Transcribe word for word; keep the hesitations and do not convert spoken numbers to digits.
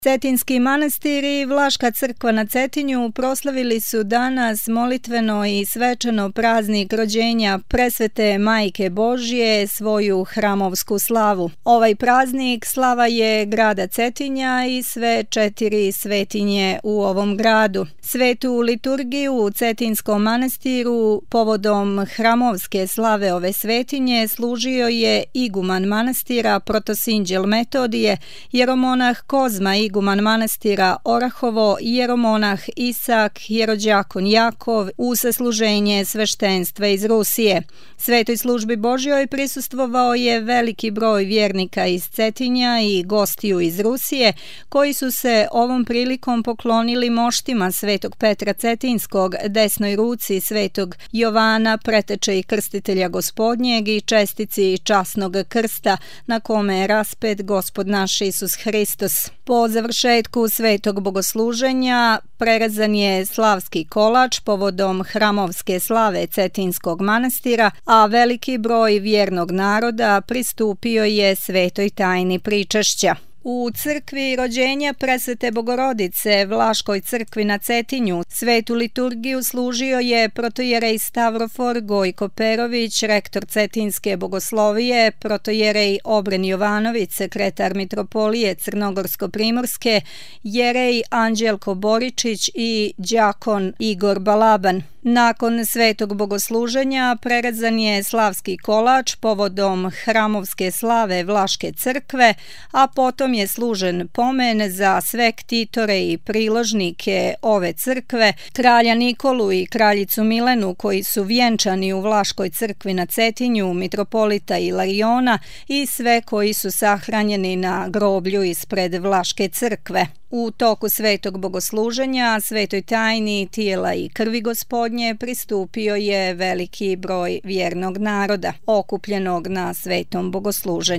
Cetinski manastir i Vlaška crkva na Cetinju proslavili su danas molitveno i svečano praznik rođenja presvete Majke Božje, svoju hramovsku slavu. Ovaj praznik slava je grada Cetinja i sve četiri svetinje u ovom gradu. Svetu liturgiju u Cetinskom manastiru povodom hramovske slave ove svetinje služio je iguman manastira Protosinđel Metodije, jeromonah Kozma iguman manastira Orahovo, jeromonah Isak, jerođakon Jakov u sasluženje sveštenstva iz Rusije. Svetoj službi Božjoj prisustvovao je veliki broj vjernika iz Cetinja i gostiju iz Rusije, koji su se ovom prilikom poklonili moštima svetog Petra Cetinskog, desnoj ruci svetog Jovana, preteče i krstitelja Gospodnjeg, i čestici časnog krsta na kome je raspet Gospod naš Isus Hristos. Po završetku svetog bogosluženja prerezan je slavski kolač povodom hramovske slave Cetinskog manastira, a veliki broj vjernog naroda pristupio je svetoj tajni pričešća. U crkvi rođenja presvete Bogorodice, Vlaškoj crkvi na Cetinju, svetu liturgiju služio je protojerej Stavrofor Gojko Perović, rektor Cetinske bogoslovije, protojerej Obren Jovanović, sekretar mitropolije Crnogorsko-primorske, jerej Anđelko Boričić i đakon Igor Balaban. Nakon svetog bogosluženja prerezan je slavski kolač povodom hramovske slave Vlaške crkve, a potom je služen pomen za sve ktitore i priložnike ove crkve, kralja Nikolu i kraljicu Milenu, koji su vjenčani u Vlaškoj crkvi na Cetinju, mitropolita Ilariona i sve koji su sahranjeni na groblju ispred Vlaške crkve. U toku svetog bogosluženja, svetoj tajni tijela i krvi Gospodnje pristupio je veliki broj vjernog naroda, okupljenog na svetom bogosluženju.